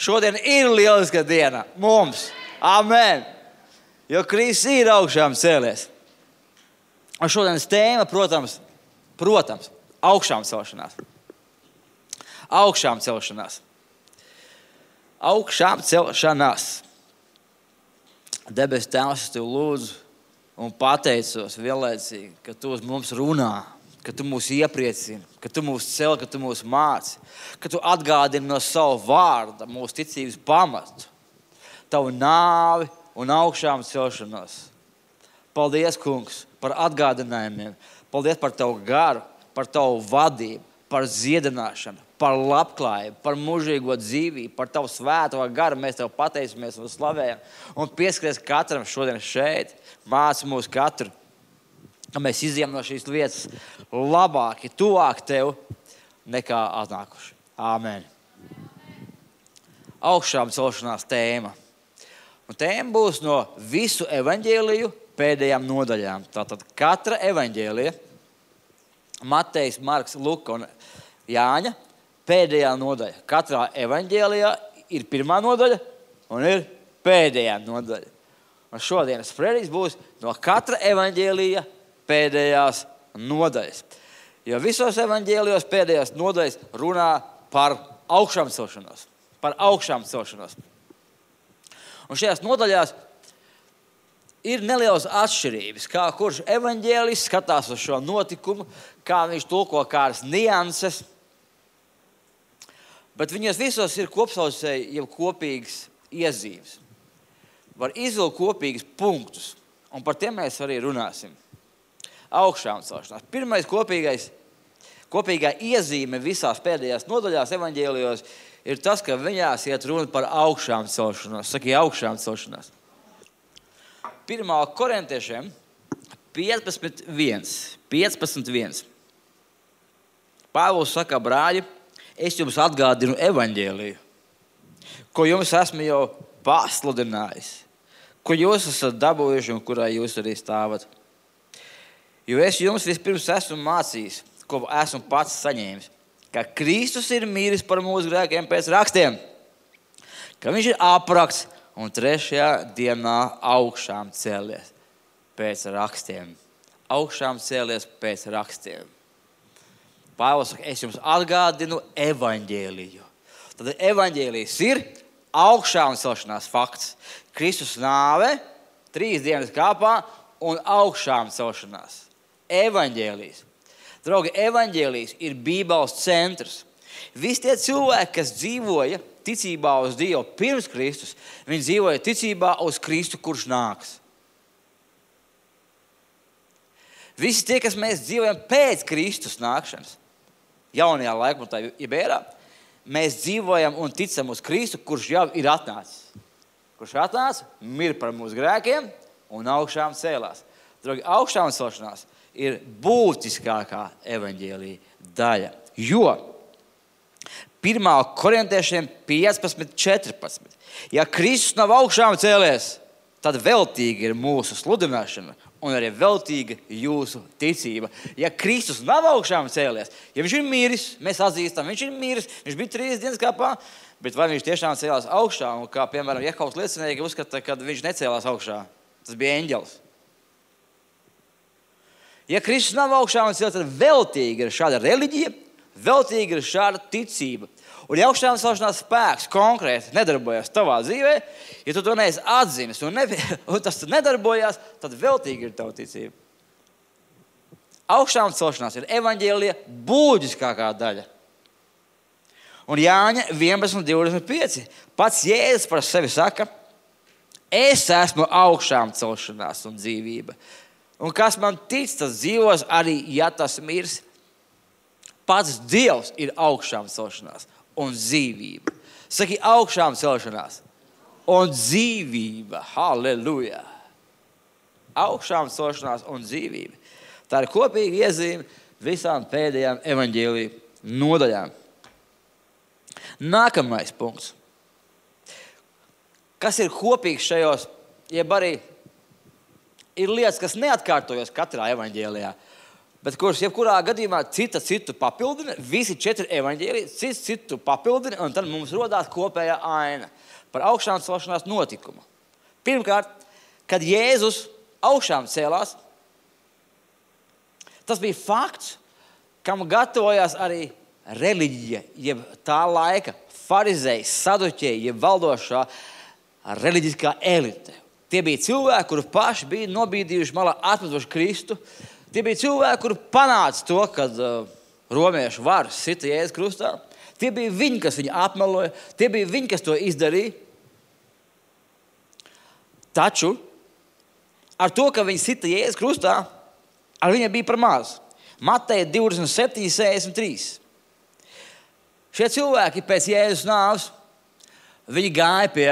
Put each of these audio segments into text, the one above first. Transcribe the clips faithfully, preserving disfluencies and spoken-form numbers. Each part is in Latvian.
Šodien ir lieliska diena mums. Amen. Jo Kristus ir augšām cēlies. Un šodienas tēma, protams, protams, augšām celšanās. Augšām celšanās. Augšām celšanās. Debes Tēvs, es tev lūdzu un pateicos vienlaicīgi, ka tu uz mums runā, ka tu mūs iepriecini, ka tu mūs cel, ka tu mūs māci, ka tu atgādini no savu vārda mūsu ticības pamatu, tavu nāvi un augšām celšanos. Paldies, kungs, par atgādinājumiem. Paldies par tavu garu, par tavu vadību, par dziedināšanu, par labklājību, par mūžīgo dzīvību, par tavu svēto garu. Mēs tev pateicamies un slavējam. Un pieskaries katram šodien šeit, māci mūs katru, ka mēs izjām no šīs lietas labāki, tuvāk tev nekā atnākuši. Āmen. Augšām celšanās tēma. Un tēma būs no visu evaņģēliju pēdējām nodaļām. Tātad katra evaņģēlija, Matejs, Marks, Luka un Jāņa, pēdējā nodaļa. Katrā evaņģēlijā ir pirmā nodaļa un ir pēdējā nodaļa. Un šodienas sprediķis būs no katra evaņģēlija pēdējās nodaļas. Jo visos evaņģēlijos pēdējās nodaļas runā par augšām celšanos. Par augšām celšanos. Un šajās nodaļās ir nelielas atšķirības, kā kurš evaņģēlijs skatās uz šo notikumu, kā viņš tulko kādas nianses. Bet viņos visos ir kopsaucēji jau kopīgas iezīmes. Var izvilkt kopīgas punktus, un par tiem mēs arī runāsim. Augšām celšanās. Pirmais kopīgais, kopīgā iezīme visās pēdējās nodaļās evaņģēlijos ir tas, ka viņās iet runa par augšām celšanos. Saki, augšām celšanās. Pirmā korintiešiem piecpadsmit viens. piecpadsmit viens. Pāvils saka, brāļi, es jums atgādinu evaņģēliju, ko jums esmu jau pasludinājis, ko jūs esat dabūjuši un kurā jūs arī stāvat. Jo es jums vispirms esmu mācījis, ko esmu pats saņēmis, ka Kristus ir mīris par mūsu grēkiem pēc rakstiem, ka viņš ir aprakts un trešajā dienā augšām cēlies pēc rakstiem. Augšām cēlies pēc rakstiem. Pāvils saka, es jums atgādinu evaņģēliju. Tad evaņģēlijs ir augšām celšanās fakts. Kristus nāve, trīs dienas kāpā un augšām celšanās. Evaņģēlijs. Draugi, evaņģēlijs ir Bībeles centrs. Visi tie cilvēki, kas dzīvoja ticībā uz Dievu pirms Kristus, viņi dzīvoja ticībā uz Kristu, kurš nāks. Visi tie, kas mēs dzīvojam pēc Kristus nākšanas, jaunajā laikmetā, jeb ērā, mēs dzīvojam un ticam uz Kristu, kurš jau ir atnācis. Kurš atnāca, mir par mūsu grēkiem un augšām cēlās. Draugi, augšām celšanās ir būtiskākā evaņģēlija daļa. Jo pirmā korintiešiem piecpadsmit četrpadsmit. Ja Kristus nav augšām cēlies, tad veltīga ir mūsu sludināšana un arī veltīga jūsu ticība. Ja Kristus nav augšām cēlies, ja viņš ir miris, mēs atzīstam, viņš ir miris, viņš bija trīs dienas kāpā, bet vai viņš tiešām cēlās augšā, un kā, piemēram, Jehovas liecinieki uzskata, kad viņš necēlās augšā. Tas bija eņģelis. Ja Kristus nav augšām cēlies, tad veltīga ir šāda reliģija, veltīga ir šāda ticība. Un ja augšām celšanās spēks konkrēti nedarbojas tavā dzīvē, ja tu to neesi atzīmis un, ne, un tas nedarbojās, tad veltīga ir tava ticība. Augšām celšanās ir evaņģēlija būtiskākā daļa. Un Jāņa vienpadsmit divdesmit pieci. Pats Jēzus par sevi saka, es esmu augšām celšanās un dzīvība. Un kas man tic, tas dzīvos arī, ja tas mirs. Pats Dievs ir augšām celšanās un dzīvība. Saki, augšām celšanās un dzīvība. Halleluja! Augšām celšanās un dzīvība. Tā ir kopīga iezīme visām pēdējām evaņģēliju nodaļām. Nākamais punkts. Kas ir kopīgs šajos, jeb arī ir lietas, kas neatkārtojas katrā evaņģēlijā. bet kurš jebkurā gadījumā cita citu papildina, visi četri evaņģēliji, cits citu papildina, un tad mums rodās kopējā aina par augšām celšanās notikumu. Pirmkārt, kad Jēzus augšām cēlās, tas bija fakts, kam gatavojās arī reliģija, jeb tā laika farizēji, saduķēji, jeb valdošā reliģiskā elite. Tie bija cilvēki, kuri paši bija nobīdījuši malā, atmetuši Kristu. Tie bija cilvēki, kuri panāca to, kad uh, romiešu varas sita Jēzus krustā. Tie bija viņi, kas viņu apmeloja. Tie bija viņi, kas to izdarīja. Taču ar to, ka viņi sita Jēzus krustā, ar viņiem bija par maz. Mateja divdesmit septiņi, sešdesmit trīs. Šie cilvēki pēc Jēzus nāves, viņi gāja pie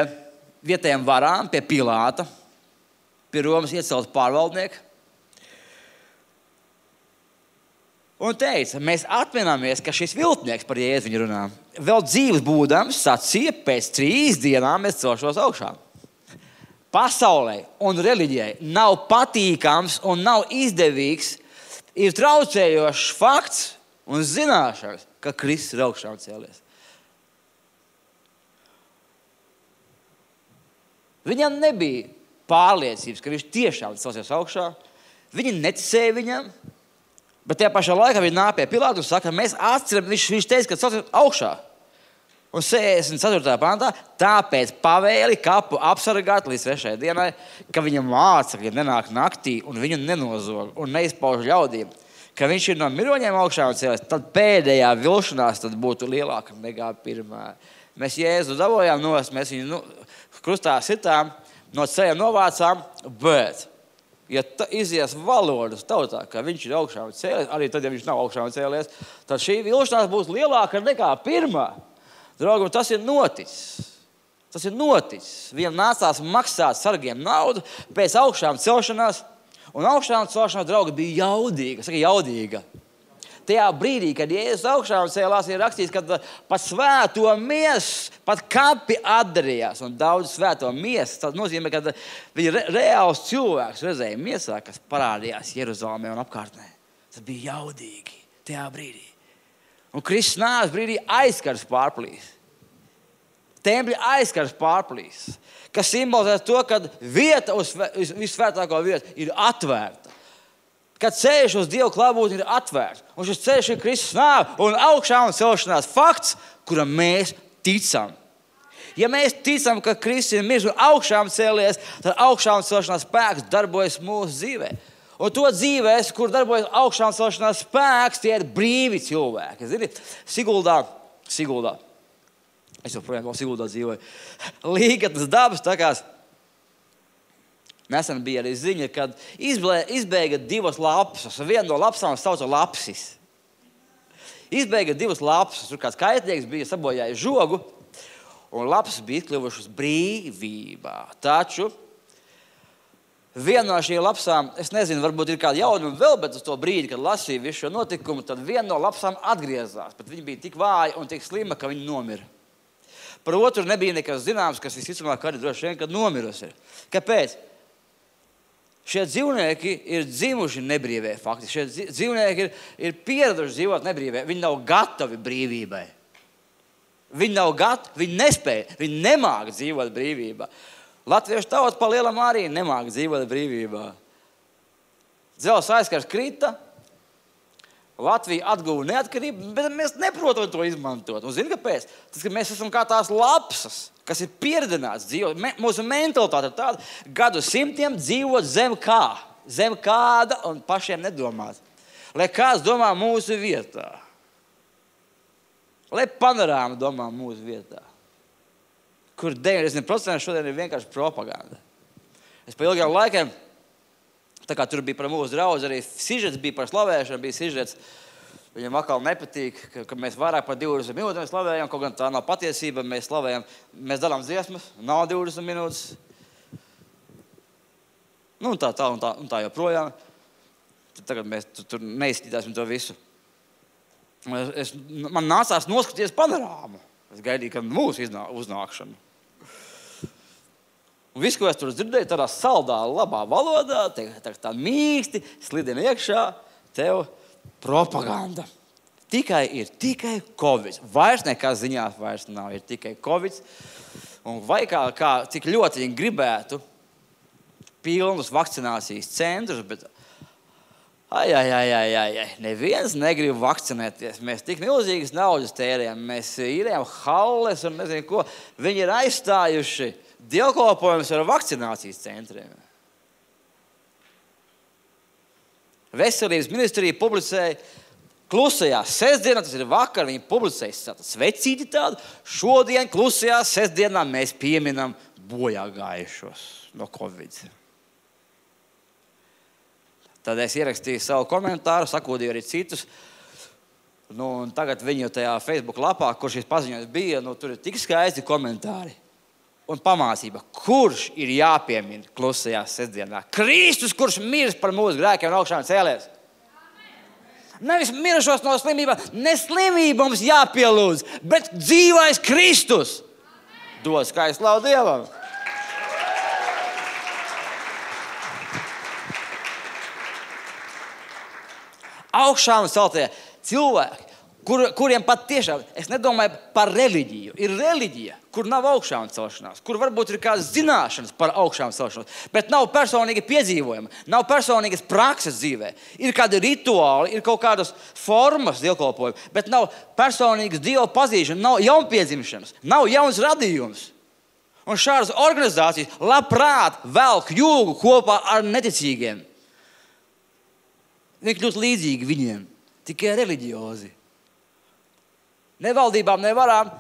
vietējiem varām, pie Pilāta, pie Romas iecelta pārvaldnieka. Un teica, mēs atminamies, ka šis viltnieks, par Jēzu viņa runā, vēl dzīves būdams sacīja, pēc trīs dienām es celšos augšā. Pasaulē un reliģijai nav patīkams un nav izdevīgs, ir traucējošs fakts un zināšanas, ka Kristus ir augšām cēlies. Viņam nebija pārliecības, ka viņš tiešām celsies augšā. Viņi neticēja viņam, bet tajā pašā laikā viņi nāk pie Pilāta un saka, mēs atceram, viņš, viņš teica, ka celsies augšā. Un sešdesmit ceturtajā pantā, tāpēc pavēli kapu apsargāt līdz trešajai dienai, ka viņam mācekļi nenāk naktī un viņu nenozog un neizpauž ļaudīm, ka viņš ir no miroņiem augšā un cēlies, tad pēdējā vilšanās tad būtu lielāka nekā pirmā. Mēs Jēzu dabojām nost, mēs viņu nu, krustā sitām, no ceļa novācām, bet, ja izies valodas tautā, ka viņš ir augšā un cēlies, arī tad, ja viņš nav augšā un cēlies, tad šī vilšanās būs lielāka nekā pirmā. Draugam, tas ir noticis. Tas ir noticis. Viņam nācās maksāt sargiem naudu pēc augšām celšanās, un augšām celšanās, draugi, bija jaudīga. Saka, jaudīga. Tajā brīdī, kad Jēzus augšām cēlās, ir rakstīts, ka pat svēto miesu, pat kapi atdarījās, un daudz svēto miesu. Tas nozīmē, ka viņi re, reāls cilvēks redzēja miesā, kas parādījās Jeruzalemē un apkārtnē. Tas bija jaudīgi tajā brīdī. Un Kristus nāves brīdī aizkars pārplīs. Tempļa aizkars pārplīs, kas simbolizē to, ka vieta uz visvētāko vietu ir atvērta. Kad ceļš uz Dievu klātbūtni ir atvērts. Un šis ceļš ir Kristus nāve un augšām celšanās fakts, kuram mēs ticam. Ja mēs ticam, ka Kristus ir miris un augšām cēlies, tad augšām celšanās spēks darbojas mūsu dzīvē. Un to dzīvēs, kur darbojas augšām celšanās spēks, tie ir brīvi cilvēki. Zini, Siguldā, Siguldā, es joprojām vēl Siguldā dzīvoju, Līgatnes dabas takās, nesen bija arī ziņa, kad izblē, izbēga divas lapsas, un viena no lapsām sauca lapsis. Izbēga divas lapsas, tur kāds kaitnieks bija sabojājis žogu, un lapsas bija izkļuvušas brīvībā. Taču viena no šīm lapsām, es nezinu, varbūt ir kāda jaunuma vēl, bet uz to brīdi, kad lasīju visu šo notikumu, tad viena no lapsām atgriezās, bet viņa bija tik vāja un tik slima, ka viņa nomira. Par otru nebija nekas zināms, kas visticamāk arī droši vien, kad nomirusi ir. Kāpēc? Šie dzīvnieki ir dzimuši nebrīvē fakti. Šie dzīvnieki ir, ir pieraduši dzīvot nebrīvē. Viņi nav gatavi brīvībai. Viņi nav gatavi, viņi nespēja, viņi nemāk dzīvot brīvībā. Latviešu tauta pa lielam arī nemāk dzīvot brīvībā. Dzelzs aizkars krita, Latvija atguva neatkarību, bet mēs neprotam to izmantot. Un zini, kāpēc? Tas, ka mēs esam kā tās lapsas, kas ir pieredzināts dzīvot. Me, mūsu mentalitāte ir tāda, gadu simtiem dzīvot zem kā, zem kāda un pašiem nedomāt. Lai kāds domā mūsu vietā. Lai panorāma domā mūsu vietā. Kur deviņdesmit procenti šodien ir vienkārši propaganda. Es pa ilgiem laikiem, tā kā tur bija par mūsu draudzi, arī sižets bija par slavēšanu, bija sižets. Viņam atkal nepatīk, ka, ka mēs vairāk par divdesmit minūtēm slavējam, kaut gan tā nav patiesība, mēs slavējam, mēs dalām dziesmas, nav divdesmit minūtes. Nu, un tā, tā, un tā, un tā joprojām. Tad tagad mēs tur, tur neizskatīsim to visu. Es, es, man nācās noskatīties panorāmu. Es gaidīju, ka mūsu iznā, uznākšanu. Un viss, ko es tur dzirdēju, tādā saldā, labā valodā, tā, tā, tā mīksti, slidina iekšā, tev propaganda. Tikai ir tikai Covid. Vairs nekā ziņās vairs nav, ir tikai Covid. Un vai kā, kā cik ļoti viņi gribētu pilnus vakcinācijas centrus, bet ai, ai, ai, ai, ai, ai, neviens negrib vakcinēties. Mēs tik milzīgas naudas tērējam, mēs īrējam halles un nezinu ko. Viņi ir aizstājuši dievkalpojumus ar vakcinācijas centriem. Veselības ministrija publicēja klusajā sestdienā, tas ir vakar, viņi publicēja svecīti tādu. Šodien klusajā sestdienā mēs pieminam bojā gājušos no Covid. Tad es ierakstīju savu komentāru, sakūdīju arī citus. Nu, un tagad viņu tajā Facebook lapā, kur šis paziņojums bija, nu, tur ir tik skaisti komentāri. Un pamācība, kurš ir jāpiemina klusajā sestdienā? Kristus, kurš mirs par mūsu grēkiem un augšām cēlies. Nevis mirušos no slimībām, ne slimība mums jāpielūdz, bet dzīvais Kristus. Dod skaistu slavu Dievam. Augšām celtie cilvēki, kur, kuriem pat tiešām, es nedomāju par reliģiju, ir reliģija, kur nav augšām celšanās, kur varbūt ir kādas zināšanas par augšām celšanos, bet nav personīgi piedzīvojuma, nav personīgas prakses dzīvē. Ir kādi rituāli, ir kaut kādas formas dievkalpojumi, bet nav personīgas Dieva pazīšana, nav jaunpiedzimšanas, nav jauns radījums. Un šādas organizācijas labprāt velk jūgu kopā ar neticīgiem. Viņi kļūst līdzīgi viņiem, tikai reliģiozi. Ne valdībām, ne varām,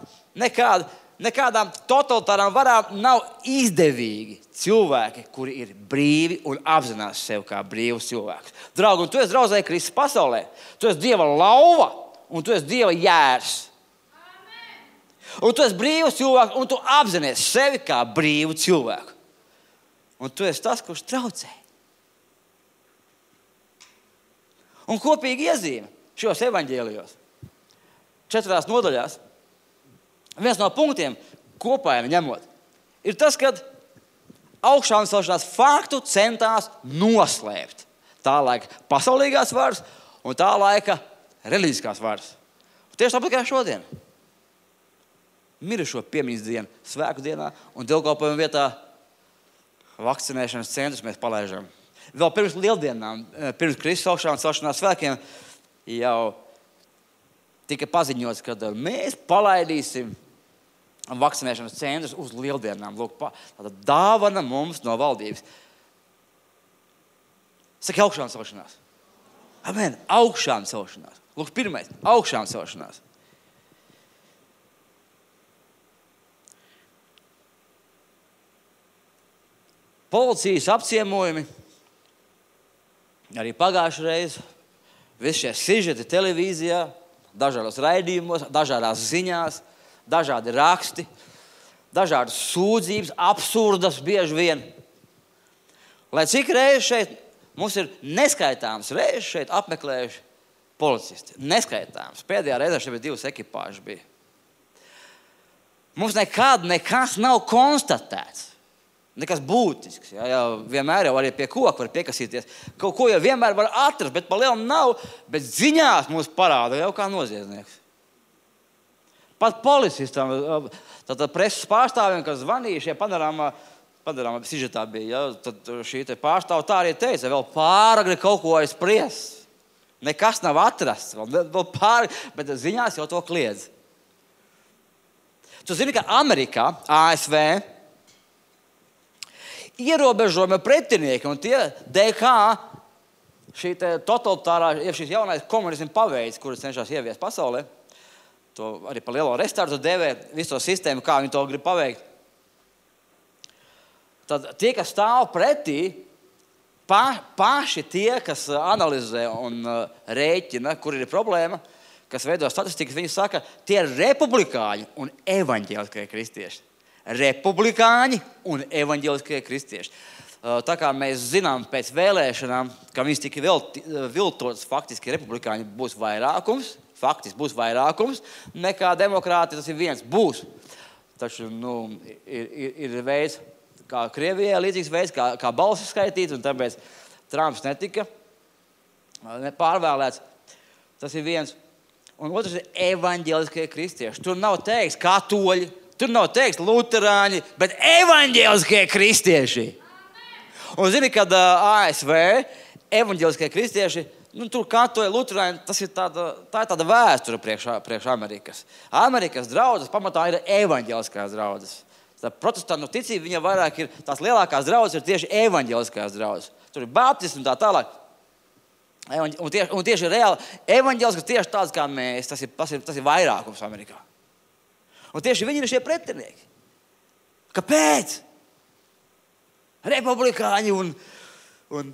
nekāda, nekādām totalitārām varām nav izdevīgi cilvēki, kuri ir brīvi un apzinās sev kā brīvus cilvēkus. Draugi, un tu esi draudzēji Kristus pasaulē. Tu esi Dieva lauva un tu esi Dieva jērs. Amen. Un tu esi brīvs cilvēks un tu apzinies sevi kā brīvu cilvēku. Un tu esi tas, kurš traucē. Un kopīgi iezīme šos evaņģēlijos, četrās nodaļās, viens no punktiem kopā ņemot, ir tas, ka augšām celšanās faktu centās noslēpt tā laika pasaulīgās varas un tā laika reliģiskās varas. Un tieši tāpat kā šodien. Mirušo piemiņas dienu, svētku dienā un dievkalpojumu vietā vakcinēšanas centrus mēs palaižam. Vēl pirms lieldienām, pirms Kristus augšām celšanās svētkiem, jau tika paziņots, ka mēs palaidīsim vakcinēšanas centrus uz lieldienām. Lūk, tāda dāvana mums no valdības. Saka, augšām celšanās. Amen, augšām celšanās. Lūk, pirmais, augšām celšanās. Policijas apciemojumi, arī pagājušajā reizē, visi šie sižeti televīzijā, dažādos raidījumos, dažādās ziņās, dažādi raksti, dažādas sūdzības, absurdas bieži vien. Lai cik reizes šeit mums ir neskaitāms reizes šeit apmeklējuši policisti. Neskaitāms. Pēdējā reizē šeit bija divas ekipāžas bija. Mums nekad nekas nav konstatēts. Nekas būtisks. Jā, jā, vienmēr jau arī pie koka var piekasīties. Kaut ko jau vienmēr var atrast, bet pa lielam nav. Bet ziņās mums parāda jau kā noziedznieks. Pat policistam, tad preses pārstāvjiem, kas zvanīja šie panorāmā, panorāmā sižetā bija, ja, tad šī te pārstāva tā arī teica, vēl pāragri kaut ko aizspriest. Nekas nav atrasts, vēl, vēl pāragri, bet ziņās jau to kliedz. Tu zini, ka Amerikā, A S V, ierobežojumi pretinieki un tie D K, šī totalitārā, šīs jaunais komunismu paveids, kuras cenšas ieviest pasaulē, to arī par lielo restartu devē, visu to sistēmu, kā viņi to grib paveikt. Tad tie, kas stāv pretī, pa, paši tie, kas analizē un uh, rēķina, kur ir problēma, kas veido statistikas, viņi saka, tie ir republikāņi un evaņģēliskie kristieši. Republikāņi un evaņģēliskie kristieši. Tā kā mēs zinām pēc vēlēšanām, ka viņas tika viltotas, faktiski republikāņi būs vairākums, faktiski būs vairākums, nekā demokrāti tas ir viens būs. Taču, nu, ir, ir, ir veids, kā Krievijā, līdzīgs veids, kā, kā balsis skaitīt, un tāpēc Trumps netika pārvēlēts. Tas ir viens. Un otrs ir evaņģēliskie kristieši. Tur nav teiks katoļi, tur nav teiks luterāņi, bet evaņģēliskie kristieši. Un zini, kad A S V evaņģēliskie kristieši, nu, tur katoļi, luterāņi, tas ir tāda, tā ir tāda vēsture priekš, priekš Amerikas. Amerikas draudzes pamatā ir evaņģēliskās draudzes. Tā protestantu ticība, viņa vairāk ir, tās lielākās draudzes ir tieši evaņģēliskās draudzes. Tur ir baptisti un tā tālāk. Un tieši, un tieši reāli evaņģēlisks tieši tāds kā mēs, tas ir, tas ir, tas ir vairākums Amerikā. Un tieši viņi ir šie pretinieki. Kāpēc? Republikāņi un, un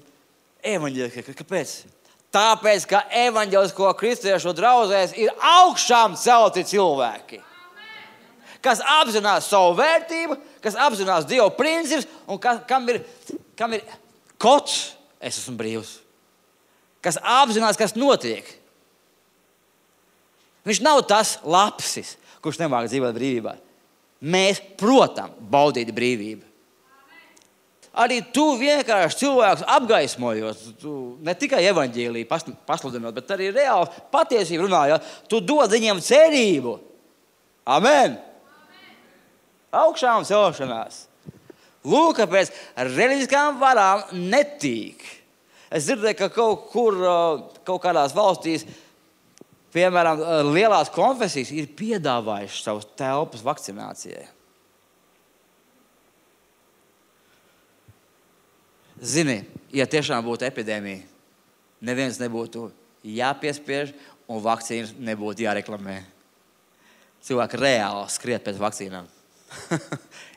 evaņģēliski. Kāpēc? Tāpēc, ka evaņģēlisko kristiešu draudzēs ir augšām celti cilvēki. Kas apzinās savu vērtību, kas apzinās Dieva principus un kas, kam ir, kam ir kods, es esmu brīvs. Kas apzinās, kas notiek. Viņš nav tas lapsis, kurš nemāk dzīvot brīvībā. Mēs, protams, baudīt brīvību. Arī tu vienkārši cilvēkus apgaismojot, tu ne tikai evaņģēliju pasludinot, bet arī reāli patiesību runājot, tu dod viņiem cerību. Amen. Augšām celšanās. Lūk, kāpēc reliģiskām varām netīk. Es dzirdēju, ka kaut kur, kaut kādās valstīs, piemēram, lielās konfesijas ir piedāvājušas savus telpas vakcinācijai. Zini, ja tiešām būtu epidēmija, neviens nebūtu jāpiespiež un vakcīnas nebūtu jāreklamē. Cilvēki reāli skriet pēc vakcīnām.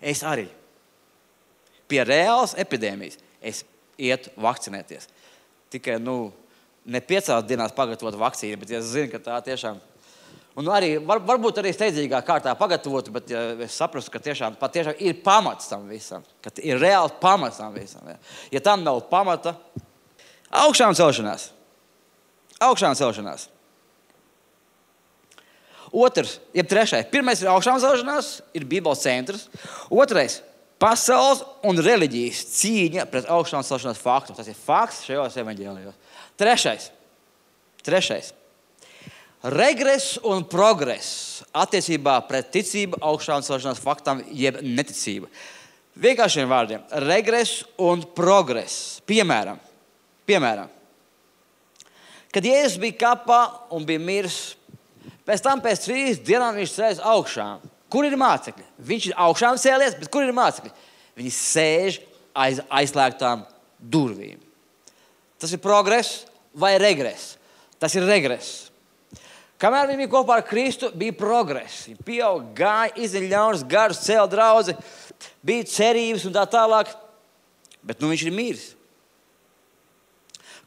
Es arī. Pie reālas epidēmijas es ietu vakcinēties. Tikai, nu, ne piecās dienās pagatavot vakcīnu, bet ja es zinu, ka tā tiešām... Un arī, var, varbūt arī steidzīgā kārtā pagatavot, bet ja es saprastu, ka tiešām, patiešām ir pamats tam visam. Ka ir reāli pamats tam visam. Ja, ja tam nav pamata, augšām celšanās. Augšām celšanās. Otrs, jeb trešais. Pirmais ir augšām celšanās, ir Bībeles centrs. Otrais, pasaules un reliģijas cīņa pret augšām celšanās faktu. Tas ir fakts šajos evaņģēlijos. Trešais. Trešais. Regress un progress attiecībā pret ticību augšām celšanās faktam jeb neticību. Vienkāršiem vārdiem. Regress un progress. Piemēram. Piemēram. Kad Jēzus bija kapā un bija miris, pēc tam pēc trīs dienām viņš sēž augšām. Kur ir mācekļi? Viņš ir augšām cēlies, bet kur ir mācekļi? Viņi sēž aiz aizslēgtām durvīm. Tas ir progress vai regress? Tas ir regress. Kamēr viņi bija kopā ar Kristu, bija progress. Viņi pieaug, gāja, izdeļ ļaunas garus, cēla draudzi, bija cerības un tā tālāk. Bet nu viņš ir miris.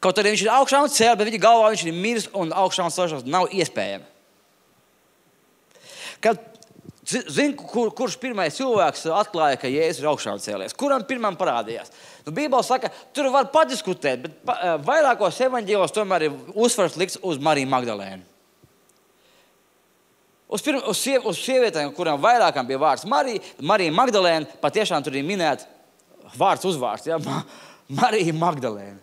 Kaut arī viņš ir augšām cēlies, bet viņa galvā viņš ir miris un augšām celšanās nav iespējama. Kad Zini, kur, kurš pirmais cilvēks atklāja, ka Jēzus ir augšām cēlies? Kuram pirmam parādījās? Nu, Bībele saka, tur var padiskutēt, bet pa, vairākos evaņģēlijos tomēr ir uzsvars likts uz Mariju Magdalēnu. Uz, pirma, uz, siev, uz sievietēm, kurām vairākām bija vārds Marija, Marija Magdalēna, patiešām tur ir minēta vārds uzvārds, ja? Marija Magdalēna.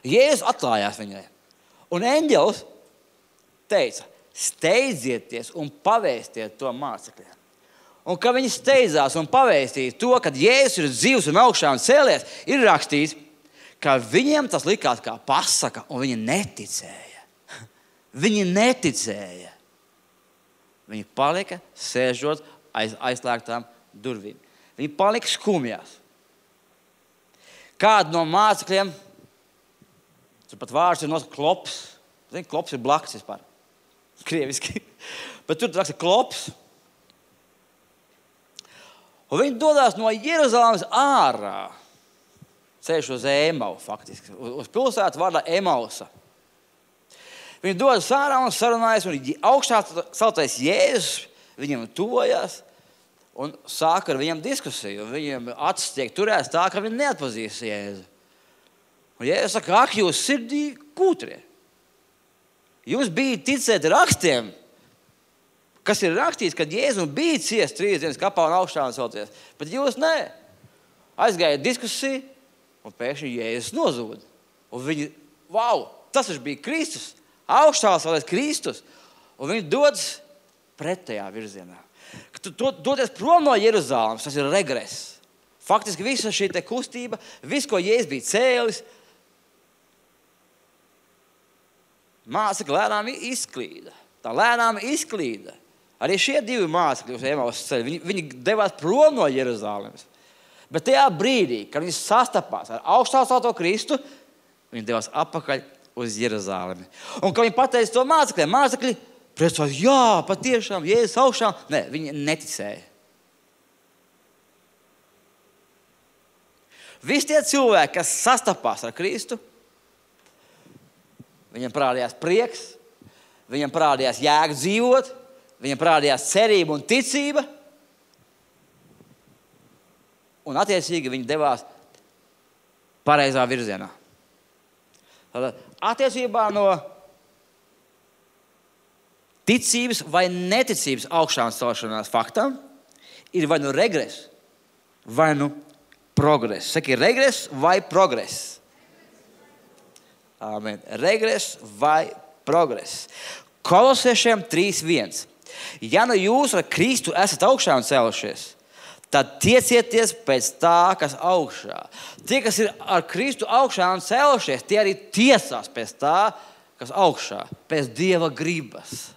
Jēzus atklājās viņai. Un eņģelis teica, steidzieties un pavēstiet to mācekļiem. Un kad viņi steidzās un pavēstīja to, kad Jēzus ir dzīvs un augšām cēlies, ir rakstīts, ka viņiem tas likās kā pasaka, un viņi neticēja. Viņi neticēja. Viņi palika sēžot aiz aizslēgtām durvīm. Viņi palika skumjās. Kādu no mācekļiem, tur pat vārds ir nosaka klops. Zini, klops ir blakus vispār. Krieviski. Bet tur raksta klops. Un viņi dodās no Jeruzalemes ārā. Ceļš uz Emau, faktiski. Uz pilsētu vārdā Emausa. Viņi dodas ārā un sarunājas, un augšā celtais Jēzus viņiem tuvojās un sāka ar viņiem diskusiju. Viņiem acis tiek turēts tā, ka viņi neatpazīst Jēzu. Un Jēzus saka, ak, jūs sirdī kūtrie. Jūs bijat ticēt rakstiem, kas ir rakstīts, kad Jēzus bija ciest trīs dienas kapā un augšām celties. Bet jūs nē. Aizgāja diskusija, un pēkšņi Jēzus nozūda. Un viņi, wow, tas bija Kristus, augšās vēl Kristus, un viņi dodas pretējā virzienā. Tu doties prom no Jeruzālēmas, tas ir regress. Faktiski visa šī te kustība, viss, ko Jēzus bija cēlis, mācekļi lēnām izklīda. Tā lēnām izklīda. Arī šie divi mācekļi uz Emaus ceļa, viņi, viņi devās prom no Jeruzālēmas. Bet tajā brīdī, kad viņi sastapās ar augštācelto Kristu, viņi devās atpakaļ uz Jeruzālemi. Un kad viņi pateica to mācekļiem, mācekļi priecājās, jā, patiešām, Jēzus augšā. Nē, viņi neticēja. Visi tie cilvēki, kas sastapās ar Kristu, viņam parādījās prieks, viņam parādījās jēga dzīvot, viņam parādījās cerība un ticība, un attiecīgi viņi devās pareizā virzienā. Tātad attiecībā no ticības vai neticības augšām celšanās faktam ir vai nu regress, vai nu progress. Saki, regress vai progress? Amen. Regress vai progress. Kolosiešiem trīs viens. Ja nu jūs ar Kristu esat augšām cēlušies, tad tiecieties pēc tā, kas augšā. Tie, kas ir ar Kristu augšām cēlušies, tie arī tiesās pēc tā, kas augšā, pēc Dieva gribas.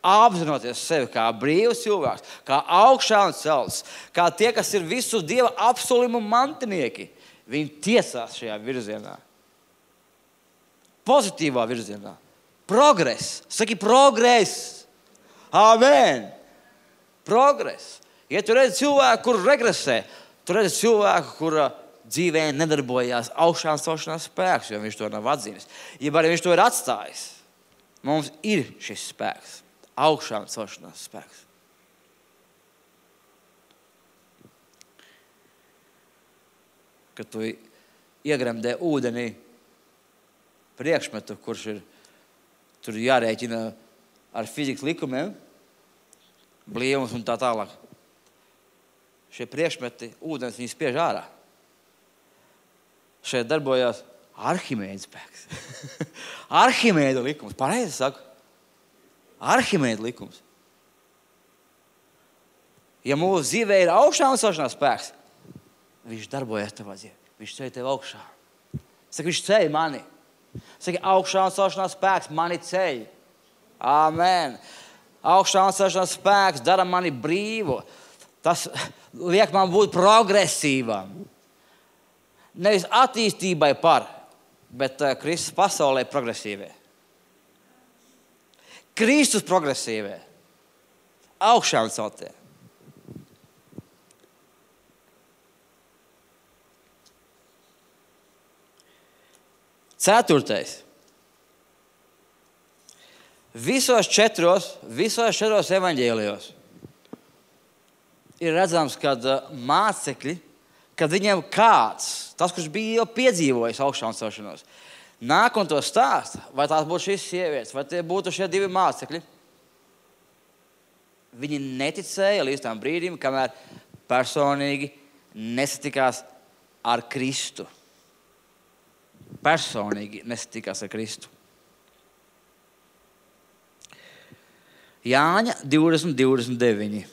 Apzinoties sevi kā brīvs cilvēks, kā augšām celts, kā tie, kas ir visu Dieva apsolījumu mantinieki, viņi tiesās šajā virzienā. Pozitīvā virzienā. Progress. Saki, progress. Amen. Progress. Ja tu redzi cilvēku, kur regresē, tu redzi cilvēku, kura dzīvē nedarbojās augšām celšanās spēks, jo viņš to nav atzīmis. Ja arī viņš to ir atstājis, mums ir šis spēks. Augšām celšanās spēks. Kad tu iegremdē ūdenī priekšmetu, kurš ir tur jārēķina ar fizikas likumiem, blīvums un tā tālāk. Šie priekšmeti, ūdens, viņi spiež ārā. Šeit darbojās Arhimēda spēks. Arhimēda likums, pareizi saku. Arhimēda likums. Ja mūsu dzīvē ir augšām celšanās spēks, viņš darbojas tavā dzīvē. Viņš ceļ tev augšā. Saka, viņš ceļ mani. Saka, augšām celšanās spēks mani ceļ. Amen. Augšām celšanās spēks dara mani brīvu. Tas liek man būt progresīvam. Nevis attīstībai par, bet uh, Kristus pasaulē progresīvē. Kristus progresīvē. Augšām celtie. Ceturtais. Visos četros, visos četros evaņģēlijos ir redzams, kad mācekļi, kad viņiem kāds, tas, kurš bija jau piedzīvojis augšām celšanos, nāk un to stāsta, vai tās būtu šīs sievietes, vai tie būtu šie divi mācekļi, viņi neticēja līdz tam brīdim, kamēr personīgi nesatikās ar Kristu. Personīgi nesatikās ar Kristu. Jāņa divdesmit divdesmit deviņi.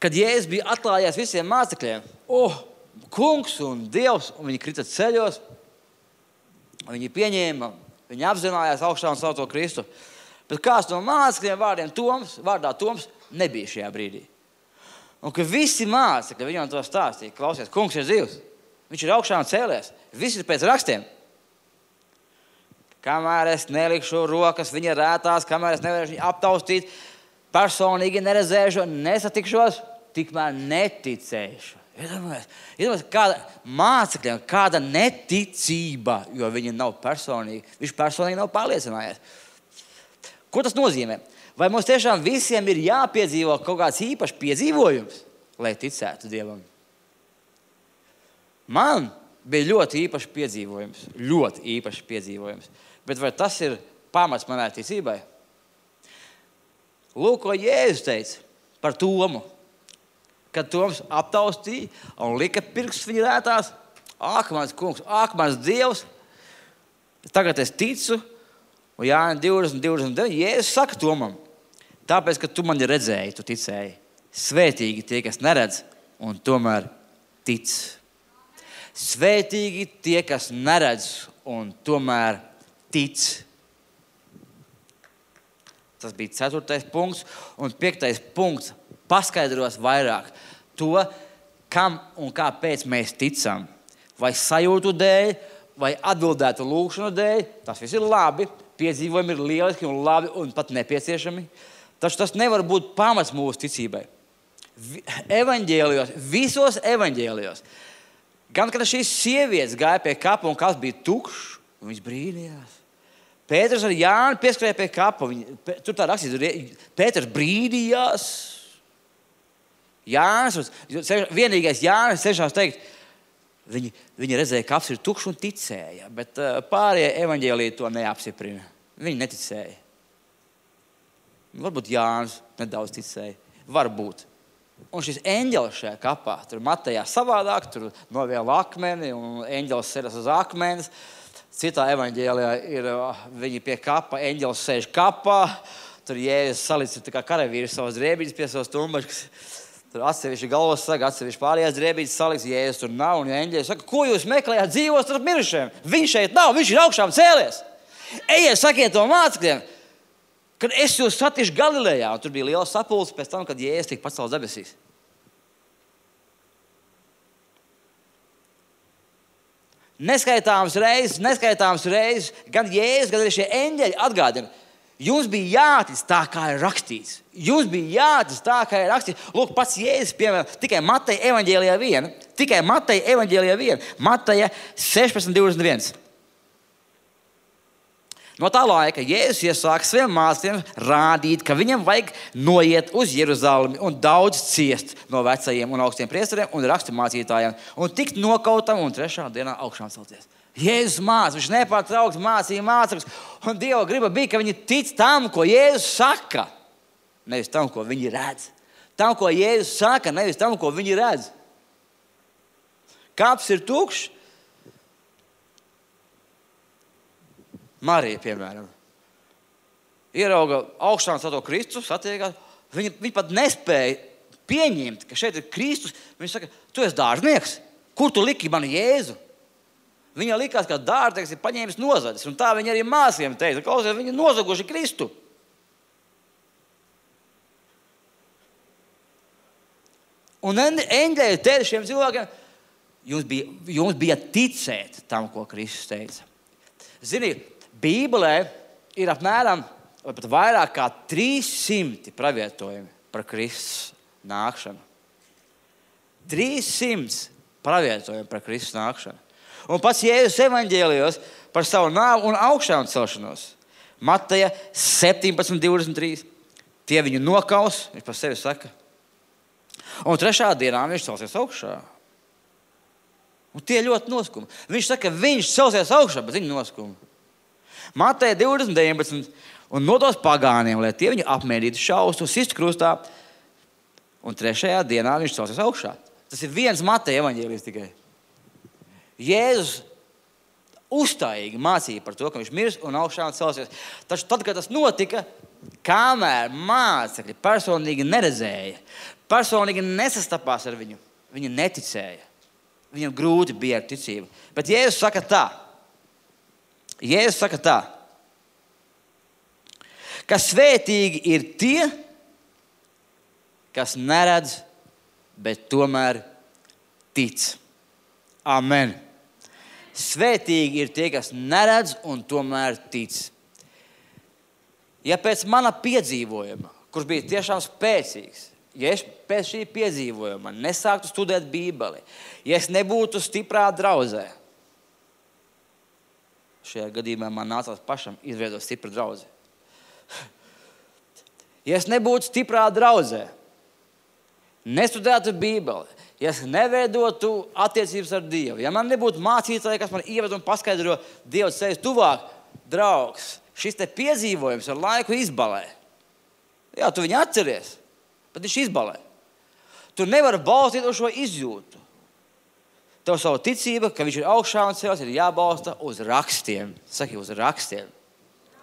Kad Jēzus bija atklājies visiem mācekļiem, oh, kungs un Dievs, un viņi krita ceļos, viņi pieņēma, viņi apzinājās augšām celto Kristu. Bet kāds no mācekļiem vārdiem Toms, vārdā Toms nebija šajā brīdī. Un kad visi mācekļi viņam to stāstīja, klausies, kungs ir dzīvs, viņš ir augšām cēlies, viss ir pēc rakstiem. Kamēr es nelikšu rokas viņa rētās, kamēr es nevarēšu viņu aptaustīt, personīgi neredzēšu, nesatikšos, tikmēr neticēšu. Iedomājies, iedomājies kāda mācekļiem, kāda neticība, jo viņi nav personīgi, viņš personīgi nav pārliecinājies. Ko tas nozīmē? Vai mums tiešām visiem ir jāpiedzīvo kaut kāds īpašs piedzīvojums, lai ticētu Dievam? Man bija ļoti īpašs piedzīvojums, ļoti īpašs piedzīvojums. Bet vai tas ir pamats manai ticībai? Lūk, ko Jēzus teica par Tomu. Kad Toms aptaustīja un lika pirkstus viņa rētās, ak, mans kungs, ak, mans Dievs, Tagad es ticu, un Jāņa divdesmit, divdesmit deviņi, Jēzus saka Tomam, tāpēc, ka tu mani redzēji, tu ticēji. Svētīgi tie, kas neredz, un tomēr tic. Svētīgi tie, kas neredz, un tomēr tic. Tas bija ceturtais punkts, un piektais punkts paskaidros vairāk to, kam un kāpēc mēs ticam. Vai sajūtu dēļ, vai atbildētu lūgšanu dēļ, tas viss ir labi, piedzīvojumi ir lieliski un labi un pat nepieciešami. Taču tas nevar būt pamats mūsu ticībai. Evaņģēlijos, visos evaņģēlijos, gan kad šīs sievietes gāja pie kapa un kaps bija tukšs, un viņas brīnījās. Pēters ar Jāni pieskrēja pie kapa. Viņi, tur tā rakstīts, Pēters brīnījās. Jānis, vienīgais Jānis cenšas teikt, viņi, viņi redzēja, ka kaps ir tukšs un ticēja, bet pārējie evaņģēliji to neapstiprina. Viņi neticēja. Varbūt Jānis nedaudz ticēja. Varbūt. Un šis eņģelis šajā kapā, tur Matejā savādāk, tur noviela akmeni un eņģelis sēras uz akmenes. Citā evaņģēlijā ir viņi pie kapa, eņģelis sēž kapā, tur Jēzus salicis tā kā karavīrs savas drēbītes pie savas tumbačkas. Tur atsevišķi galvas saka, atsevišķi pārējās drēbītes salicis, Jēzus tur nav, un eņģelis saka, ko jūs meklējāt dzīvos starp mirušajiem? Viņš šeit nav, viņš ir augšām cēlies. Ejiet, sakiet to mācekļiem, kad es jūs satikšu Galilejā, un tur bija liela sapulce pēc tam, kad Jēzus tika pacelts debesīs. Neskaitāmas reizes, neskaitāmas reizes, gan Jēzus, gan arī šie eņģeļi atgādina, jums bija jātic tā, kā ir rakstīts. Jums bija jātic tā, kā ir rakstīts. Lūk, pats Jēzus, piemēram, tikai Mateja evaņģēlijā viena, tikai Mateja evaņģēlijā viena, Mateja sešpadsmit divdesmit viens. No tā laika Jēzus iesāka saviem mācekļiem rādīt, ka viņam vajag noiet uz Jeruzalemi un daudz ciest no vecajiem un augstiem priesteriem un raksturmācītājiem un tikt nokautam un trešā dienā augšām celties. Jēzus māca, viņš nepārtraukti mācīja mācekļus, un Dieva griba bija, ka viņi tic tam, ko Jēzus saka, nevis tam, ko viņi redz. Tam, ko Jēzus saka, nevis tam, ko viņi redz. Kaps ir tukšs. Marija, piemēram, ierauga augšām celto Kristu, satiekās. Viņa, viņa pat nespēja pieņemt, ka šeit ir Kristus. Viņa saka, tu esi dārznieks, kur tu liki mani Jēzu? Viņa likās, ka dārznieks ir paņēmis nozadzis, un tā viņa arī māsiem teica, klausies, viņa nozaguši Kristu. Un eņģeļi teica šiem cilvēkiem, jums bija, jums bija ticēt tam, ko Kristus teica. Zini, Bībelē ir apmēram vai pat vairāk kā trīs simti pravietojumi par Kristus nākšanu. trīs simti pravietojumi par Kristus nākšanu. Un pats Jēzus evaņģēlijos par savu nāvu un augšām celšanos. Mateja septiņpadsmit divdesmit trīs. Tie viņu nokaus, viņš par sevi saka. Un trešā dienā viņš celsies augšā. Un tie ļoti noskuma. Viņš saka, viņš celsies augšā, bet viņi noskuma. Mateja divdesmit deviņpadsmit. Un nodos pagāniem, lai tie viņu apmērītu šaustu un sistu krustā. Un trešajā dienā viņš celsies augšā. Tas ir viens Mateja evaņģēlijs tikai. Jēzus uzstājīgi mācīja par to, ka viņš mirs un augšā un celsies. Taču tad, kad tas notika, kamēr mācekļi personīgi neredzēja, personīgi nesastapās ar viņu, viņi neticēja. Viņam grūti bija ar ticību. Bet Jēzus saka tā. Jēzus saka tā. Ka svētīgi ir tie, kas neredz, bet tomēr tic. Amen. Svētīgi ir tie, kas neredz un tomēr tic. Ja pēc mana piedzīvojuma, kurš bija tiešām spēcīgs, ja es pēc šī piedzīvojuma nesāktu studēt Bībeli, ja es nebūtu stiprā draudzē, šajā gadījumā man nācās pašam izveidot stipru draudzi. Ja es nebūtu stiprā draudzē, nestudētu Bībeli, ja es neveidotu attiecības ar Dievu, ja man nebūtu mācītāji, kas man ieved un paskaidro Dievu ceļus tuvāk, draugs, šis te piedzīvojums ar laiku izbalē. Jā, tu viņu atceries, bet viņš izbalē. Tu nevari balstīt uz šo izjūtu. Tev savu ticību, ka viņš ir augšā un cēlies, ir jābalsta uz rakstiem. Saki, uz rakstiem.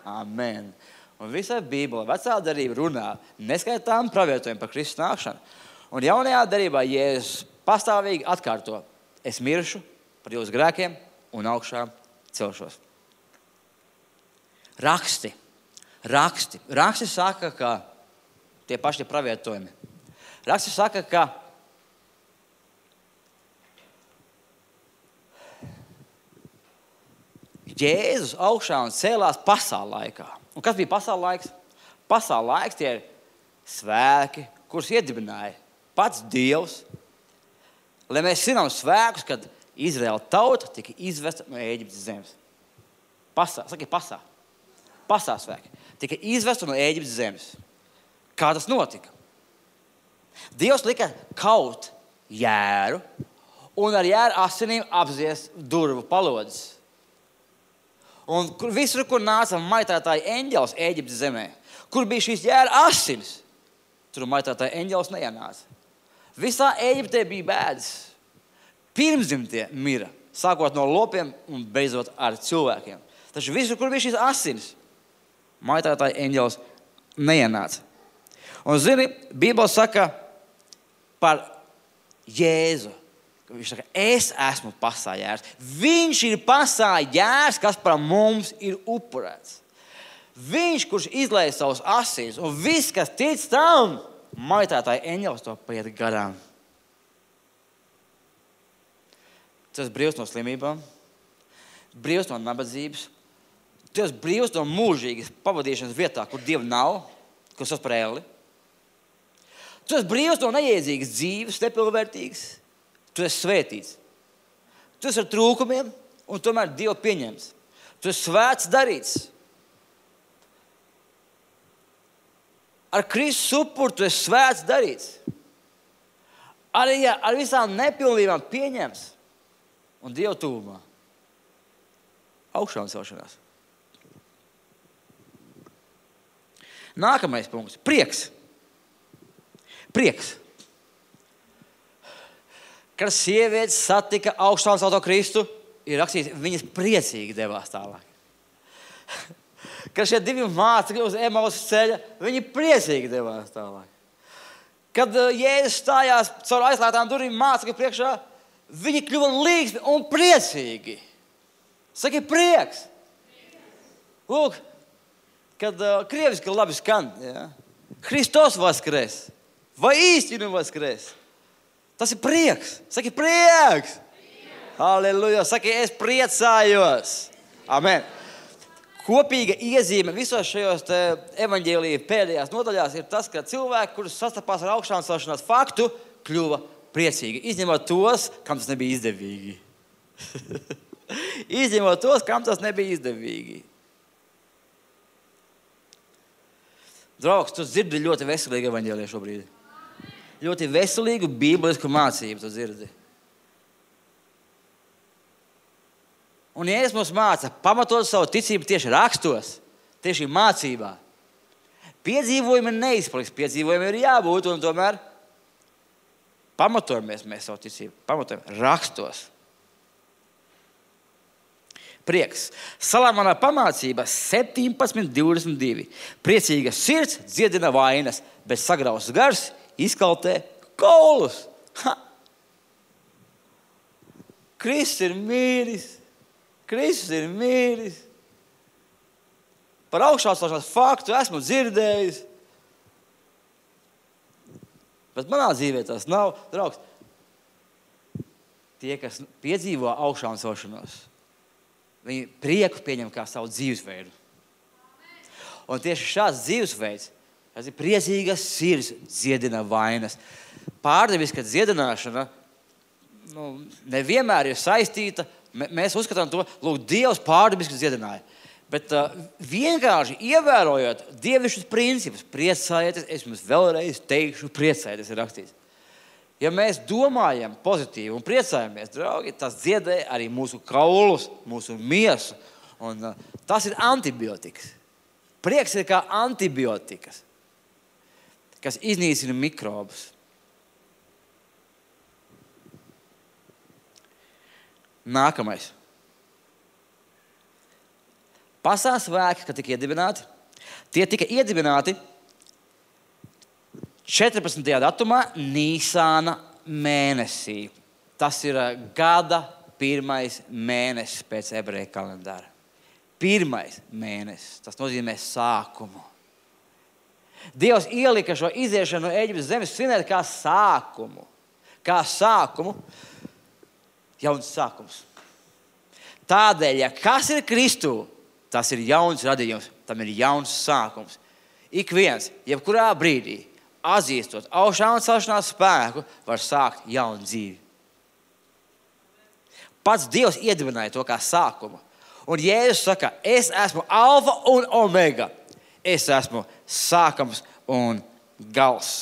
Amen. Un visā Bībelē vecā darība runā neskaitām pravietojumi par Kristus nākšanu. Un jaunajā darībā Jēzus pastāvīgi atkārto: es miršu par jūsu grēkiem un augšā celšos. Raksti. Raksti. Raksti saka, ka tie paši pravietojumi. Raksti saka, ka Jēzus augšā un cēlās pasaules laikā. Un kas bija pasaules laiks? Pasaules laiks tie ir svēki, kurus iedibināja pats Dievs. Lai mēs svinām svēkus, kad Izraēla tauta tika izvesta no Ēģiptes zemes. Pasā, saki pasā. Pasā svēki. Tika izvesta no Ēģiptes zemes. Kā tas notika? Dievs lika kaut jēru un ar jēru asinīm apzies durvu palodzes. Un kur, visur, kur nāca maitātāja eņģelis Ēģiptes zemē, kur bija šīs jēra asinis, tur maitātāja eņģelis neienāca. Visā Ēģiptē bija bēdas. Pirmzimtie mira, sākot no lopiem un beidzot ar cilvēkiem. Taču visur, kur bija šīs asinis, maitātāja eņģelis neienāca. Un zini, Bībele saka par Jēzu. Viņš saka, es esmu pasā jērs. Viņš ir pasā jērs, kas par mums ir upurēts. Viņš, kurš izlēja savus asins, un viss, kas tic tam, maitātāja eņģelis to paiet garām. Tu esi brīvs no slimībām, brīvs no nabadzības, tu esi brīvs no mūžīgas pavadīšanas vietā, kur Dieva nav, kur sauc par elli. Tu esi brīvs no neiedzīgas dzīves, nepilnvērtīgas. Tu esi svētīts. Tu esi ar trūkumiem, un tomēr Dievu pieņems. Tu esi svēts darīts. Ar Kristus upuru tu esi svēts darīts. Arī ja ar visām nepilnībām pieņems un Dievu tuvumā. Augšā un celšanās. Nākamais punkts. Prieks. Prieks. Kad sievietes satika augšā un celto Kristu, ir rakstīts, viņas priecīgi devās tālāk. Kad šie divi mācekļi uz Emausas ceļa, viņi priecīgi devās tālāk. Kad Jēzus stājās caur aizslēgtām durvīm mācekļu priekšā, viņi kļuva līgsmi un priecīgi. Saki, prieks. Lūk, kad uh, krieviski labi skan, ja? Hristos vaskres, vai īstinu vaskres. Tas ir prieks. Saki, prieks. prieks. Halleluja. Saki, es priecājos. Amen. Kopīga iezīme visos šajos evaņģēlija pēdējās nodaļās ir tas, ka cilvēki, kurus sastapās ar augšā un celšanās faktu, kļuva priecīgi. Izņemot tos, kam tas nebija izdevīgi. Izņemot tos, kam tas nebija izdevīgi. Draugs, tu dzirdi ļoti veselīgu evaņģēliju šobrīd. Ļoti veselīgu bībelisku mācību tu dzirdi. Un Jēzus mums māca pamatot savu ticību tieši rakstos, tieši mācībā. Piedzīvojumi neizpaliks, piedzīvojumi ir jābūt, un tomēr pamatojamies mēs savu ticību, pamatojam rakstos. Prieks. Salamana pamācība septiņpadsmit divdesmit divi. Priecīga sirds dziedina vainas, bet sagrausts gars izkaltē kaulus. Ha! Kristus ir mīris. Kristus ir mīris. Par augšā celšanās faktu esmu dzirdējis. Bet manā dzīvē tas nav. Draugs, tie, kas piedzīvo augšā celšanos, viņi prieku pieņem kā savu dzīvesveidu. Un tieši šāds dzīvesveids, tas ir priecīgas sirds dziedina vainas. Pārdeviska dziedināšana nu, nevienmēr ir saistīta. Mēs uzskatām to, lūk, Dievs pārdeviski dziedināja. Bet uh, vienkārši ievērojot dievišķus principus, priecājieties, es jums vēlreiz teikšu, priecājieties, ir rakstīts. Ja mēs domājam pozitīvi un priecājamies, draugi, tas dziedē arī mūsu kaulus, mūsu miesu. Un uh, tas ir antibiotikas. Prieks ir kā antibiotikas, kas iznīcina mikrobus. Nākamais. Pasaules svētki, kad tika iedibināti, tie tika iedibināti četrpadsmitajā datumā Nīsāna mēnesī. Tas ir gada pirmais mēnesis pēc ebreju kalendāra. Pirmais mēnesis. Tas nozīmē sākumu. Dievs ielika šo iziešanu no Ēģiptes zemes svinēt kā sākumu. Kā sākumu. Jauns sākums. Tādēļ, ja kas ir Kristū, tas ir jauns radījums. Tam ir jauns sākums. Ik viens, jebkurā brīdī, atzīstot augšām un celšanās spēku, var sākt jaunu dzīvi. Pats Dievs iedibināja to kā sākumu. Un Jēzus saka, es esmu alfa un omega. Es esmu sākums un gals.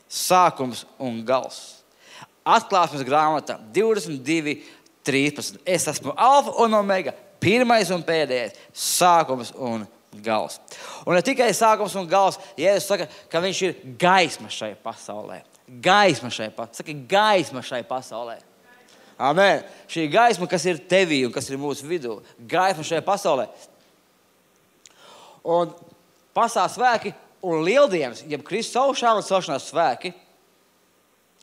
Sākums un gals. Atklāsmes grāmata divdesmit divi trīspadsmit. Es esmu alfa un omega, pirmais un pēdējais, sākums un gals. Un ne tikai sākums un gals, Jēzus saka, ka viņš ir gaisma šai pasaulē. Gaisma šai pasaulē. Saka, gaisma šai pasaulē. Amen. Šī gaisma, kas ir tevī un kas ir mūsu vidū. Gaisma šajā pasaulē. Un pasaules svēki un lieldienas, jeb Kristus augšām un celšanās svēki,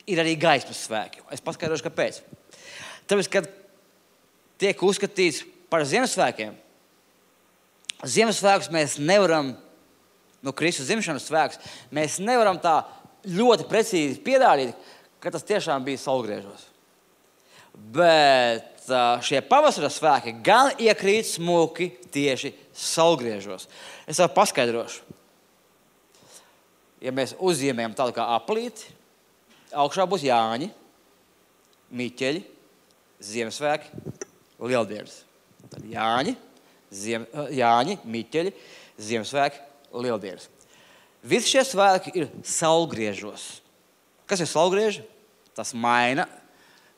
ir arī gaismas svēki. Es paskaidrošu, kāpēc. Tāpēc, kad tiek uzskatīts par Ziemassvētkiem, Ziemassvētkus mēs nevaram, no Kristus dzimšanas svētkus, mēs nevaram tā ļoti precīzi pierādīt, ka tas tiešām bija saulgriežos. Bet šie pavasara svēki gan iekrīt smuki tieši saulgriežos. Es tev paskaidrošu. Ja mēs uzzīmējam tādu kā aplīti, augšā būs Jāņi, Miķeļi, Ziemassvētki, Lieldienas. Tad Jāņi, Ziem, Jāņi, Miķeļi, Ziemassvētki, Lieldienas. Visi šie svētki ir saulgriežos. Kas ir saulgrieži? Tas maina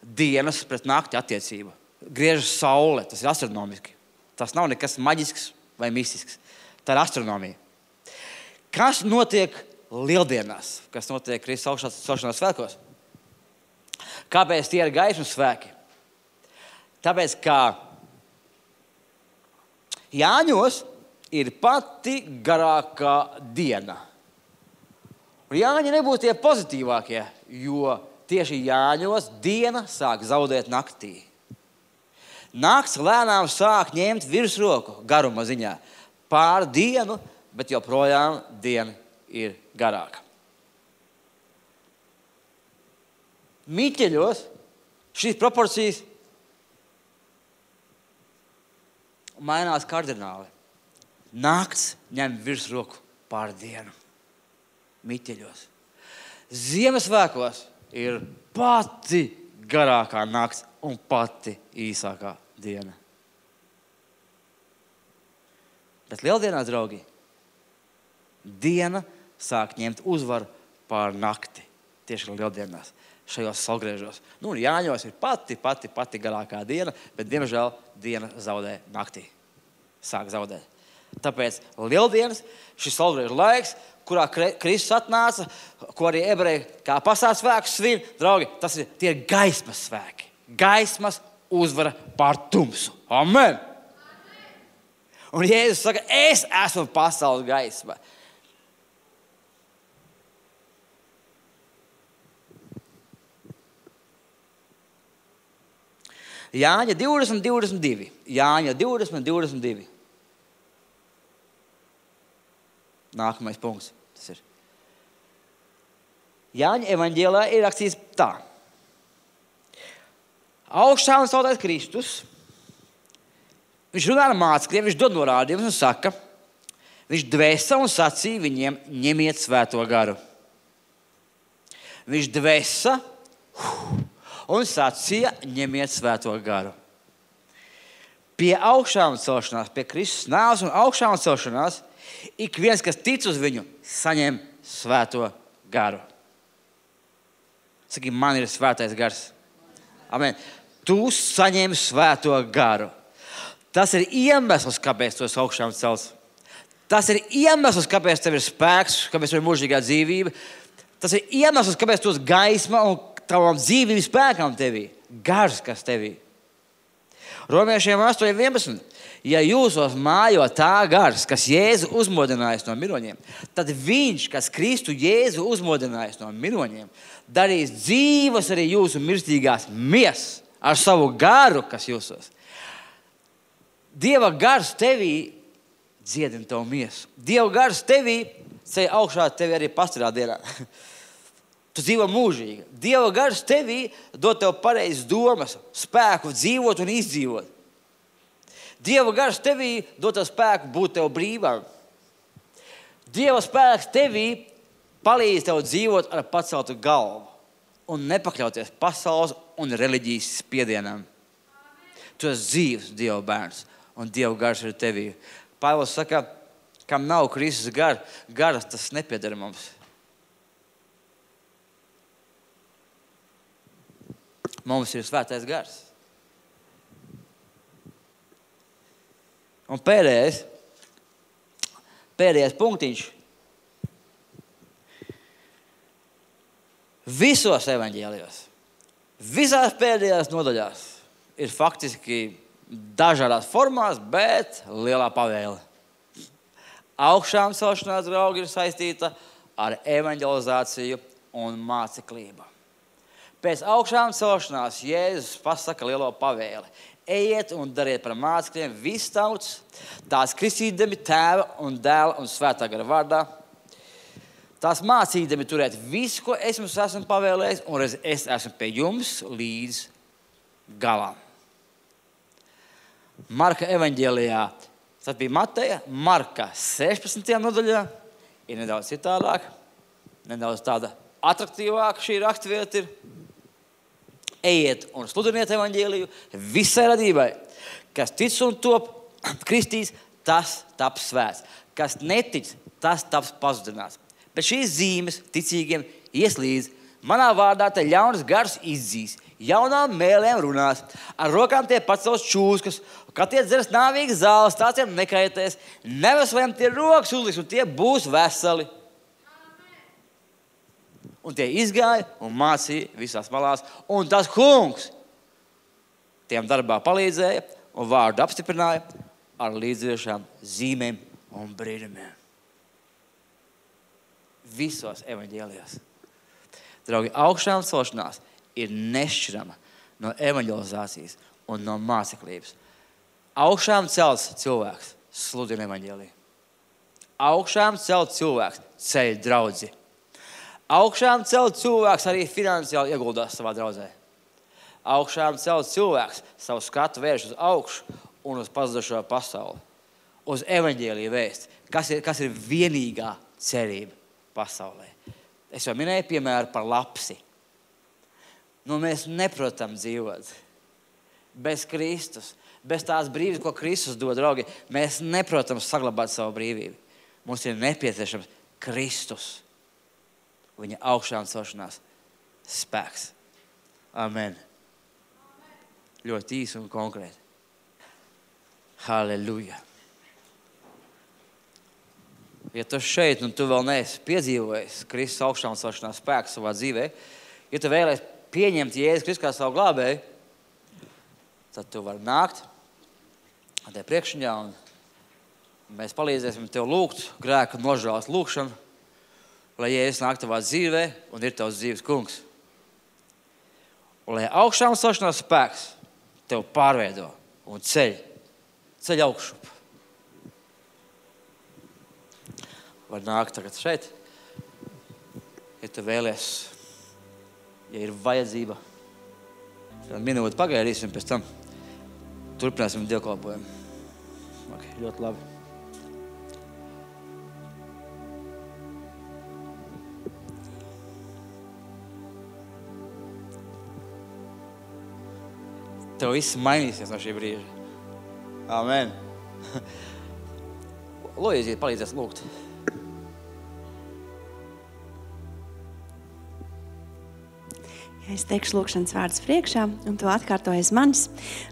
dienas pret nakti attiecību. Griežas saule, tas ir astronomiski. Tas nav nekas maģisks vai mistisks. Tā ir astronomija. Kas notiek lieldienās? Kas notiek Kristus augšanās svētkos? Kāpēc tie ir gaismas svēki? Tāpēc, ka Jāņos ir pati garākā diena. Un Jāņi nebūtu tie pozitīvākie, jo tieši Jāņos diena sāk zaudēt naktī. Nakts lēnām sāk ņemt virsroku garuma ziņā pār dienu, bet joprojām diena ir garāka. Miķeļos šīs proporcijas mainās kardināli. Nakts ņem virsroku pār dienu. Miķeļos. Ziemassvētkos ir pati garākā nakts un pati īsākā diena. Bet lieldienās, draugi, diena sāk ņemt uzvaru pār nakti. Tieši lieldienās, šajos saulgriežos. Nu, Jāņos ir pati, pati, pati garākā diena, bet, diemžēl, diena zaudē naktī. Sāk zaudēt. Tāpēc lieldienas, šis saulgriežu laiks, kurā Kristus atnāca, ko arī ebreji kā pasaules svētkus svin, draugi, tas ir tie gaismas svēki. Gaismas uzvara pār tumsu. Amen! Un Jēzus saka, es esmu pasaules gaisma. Jāņa divdesmit, divdesmit divi. Jāņa divdesmit, divdesmit divi. Nākamais punkts. Tas ir. Jāņa evaņģēlē ir rakstīts tā. Augšā un celtais Kristus. Viņš runā ar mācekļiem, viņš dod norādījumus un saka, viņš dvēsa un sacīja viņiem, ņemiet svēto garu. Viņš dvēsa un sacīja, ņemiet svēto garu. Pie augšām celšanās, pie Kristus nāves un augšām celšanās, ik viens, kas tic uz viņu, saņem svēto garu. Saki, man ir svētais gars. Amen. Tu saņem svēto garu. Tas ir iemesls, kāpēc tu esi augšām celts. Tas ir iemesls, kāpēc tev ir spēks, kāpēc tev ir mūžīgā dzīvība. Tas ir iemesls, kāpēc tu esi gaisma un tavam dzīvības spēkam tevī. Gars, kas tevī. Romiešiem astoņi vienpadsmit. Ja jūsos mājo tā gars, kas Jēzu uzmodinājis no miroņiem, tad viņš, kas Kristu Jēzu uzmodinājis no miroņiem, darīs dzīvas arī jūsu mirstīgās miesas ar savu garu, kas jūsos. Dieva gars tevī dziedina tavu miesu. Dieva gars tevī ceļ augšā, tevi arī pastarā dienā. Tu dzīvo mūžīgi. Dieva gars tevī dod tev pareizas domas, spēku dzīvot un izdzīvot. Dieva gars tevī dod tev spēku būt tev brīvām. Dieva spēks tevī palīdz tev dzīvot ar paceltu galvu un nepakļauties pasaules un reliģijas spiedienam. Tu esi dzīvs Dieva bērns un Dieva gars ir tevī. Pāvils saka, kam nav Kristus gar, garas, tas nepieder mums. Mums ir svētais gars. Un pēdējais, pēdējais punktiņš. Visos evaņģēlijos, visās pēdējās nodaļās ir faktiski dažādās formās, bet lielā pavēle. Augšām celšanās, draugi, ir saistīta ar evaņģelizāciju un māceklību. Pēc augšām celšanās Jēzus pasaka lielo pavēli. Ejiet un dariet par mācekļiem visu tautas, tās kristīdami Tēva un Dēla un Svētā gara vārdā. Tās mācīdami turēt visu, ko es jums esmu pavēlējis, un es esmu pie jums līdz galam. Marka evaņģēlijā, tas bija Mateja, Marka sešpadsmitajā nodaļā, ir nedaudz citādāk, nedaudz tāda atraktīvāka šī raksturvieta ir. Ejiet un sludiniet evaņģēliju visai radībai. Kas tic un top kristīs, tas taps svēts. Kas netic, tas taps pazudināts. Bet šīs zīmes ticīgiem ies līdz. Manā vārdā te ļaunas gars izdzīs, jaunām mēlēm runās, ar rokām tie pacels čūskas, kad tie dzers nāvīgas zāles, tās tiem nekaitēs, neveseliem tie rokas uzliks un tie būs veseli. Un tie izgāja un mācīja visās malās. Un tas kungs tiem darbā palīdzēja un vārdu apstiprināja ar līdzviešām zīmēm un brīnumiem. Visos evaņģēlijos. Draugi, augšām celšanās ir nešķirama no evaņģelizācijas un no māceklības. Augšām celts cilvēks sludina evaņģēliju. Augšām celts cilvēks ceļ draudzi. Augšām celt cilvēks arī finansiāli ieguldās savā draudzē. Augšām celt cilvēks savu skatu vērš uz augšu un uz pazudušo pasauli. Uz evaņģēliju vēsti, kas ir, kas ir vienīgā cerība pasaulē. Es jau minēju piemēru par lapsi. Nu, mēs neprotam dzīvot bez Kristus, bez tās brīvības, ko Kristus dod, draugi. Mēs neprotam saglabāt savu brīvību. Mums ir nepieciešams Kristus. Viņa augšām celšanās spēks. Amen. Amen. Ļoti īsi un konkrēti. Halleluja. Ja tu šeit un tu vēl neesi piedzīvojis Kristus augšām celšanās spēku savā dzīvē, ja tu vēlies pieņemt Jēzus Kristus kā savu glābēju, tad tu vari nākt te priekšņā un mēs palīdzēsim tev lūgt grēku nožēlas lūgšanu, lai Jēzus nāk tavā dzīvē un ir tavs dzīves kungs. Un lai augšām celšanās spēks tev pārveido un ceļ, ceļ augšup. Var nākt tagad šeit, ja tu vēlies, ja ir vajadzība. Tad minūti pagaidīsim, pēc tam turpināsim dievkalpojumu. Ok, ļoti labi. Tev viss mainīsies no šī brīža. Amen. Lūdzu, palīdzies lūgt. Ja es teikšu lūkšanas vārdus priekšā, un tu atkārtoji aiz manis,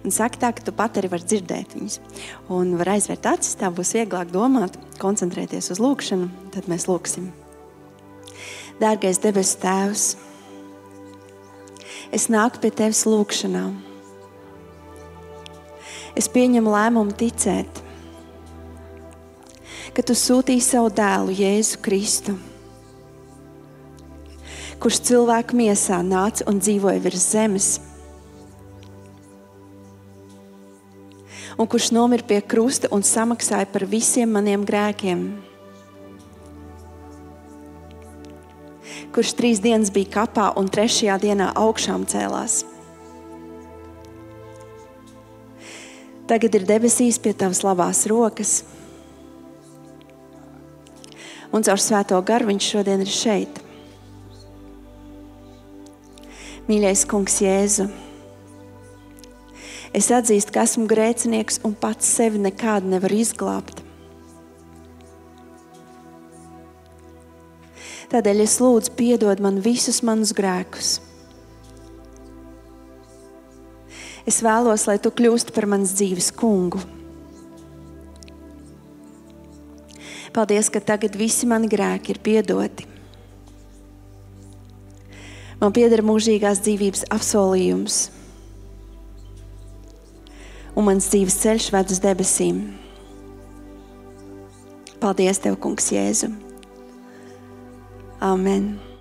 un saki tā, ka tu pat arī var dzirdēt viņus. Un var aizvērt acis, tā būs vieglāk domāt, koncentrēties uz lūkšanu, tad mēs lūksim. Dārgais debesu Tēvs, es nāku pie Tevis lūkšanā. Es pieņemu lēmumu ticēt, ka tu sūtīji savu dēlu Jēzu Kristu, kurš cilvēku miesā nāca un dzīvoja virs zemes, un kurš nomira pie krusta un samaksāja par visiem maniem grēkiem, kurš trīs dienas bija kapā un trešajā dienā augšām cēlās. Tagad ir debesīs pie tavas labās rokas, un caur Svēto garu viņš šodien ir šeit. Mīļais Kungs Jēzu, es atzīstu, ka esmu grēcinieks un pats sevi nekādu nevaru izglābt. Tādēļ es lūdzu piedod man visus manus grēkus. Es vēlos, lai tu kļūsti par manas dzīves kungu. Paldies, ka tagad visi mani grēki ir piedoti. Man pieder mūžīgās dzīvības apsolījums, un mans dzīves ceļš ved uz debesīm. Paldies tev, Kungs Jēzu. Amen.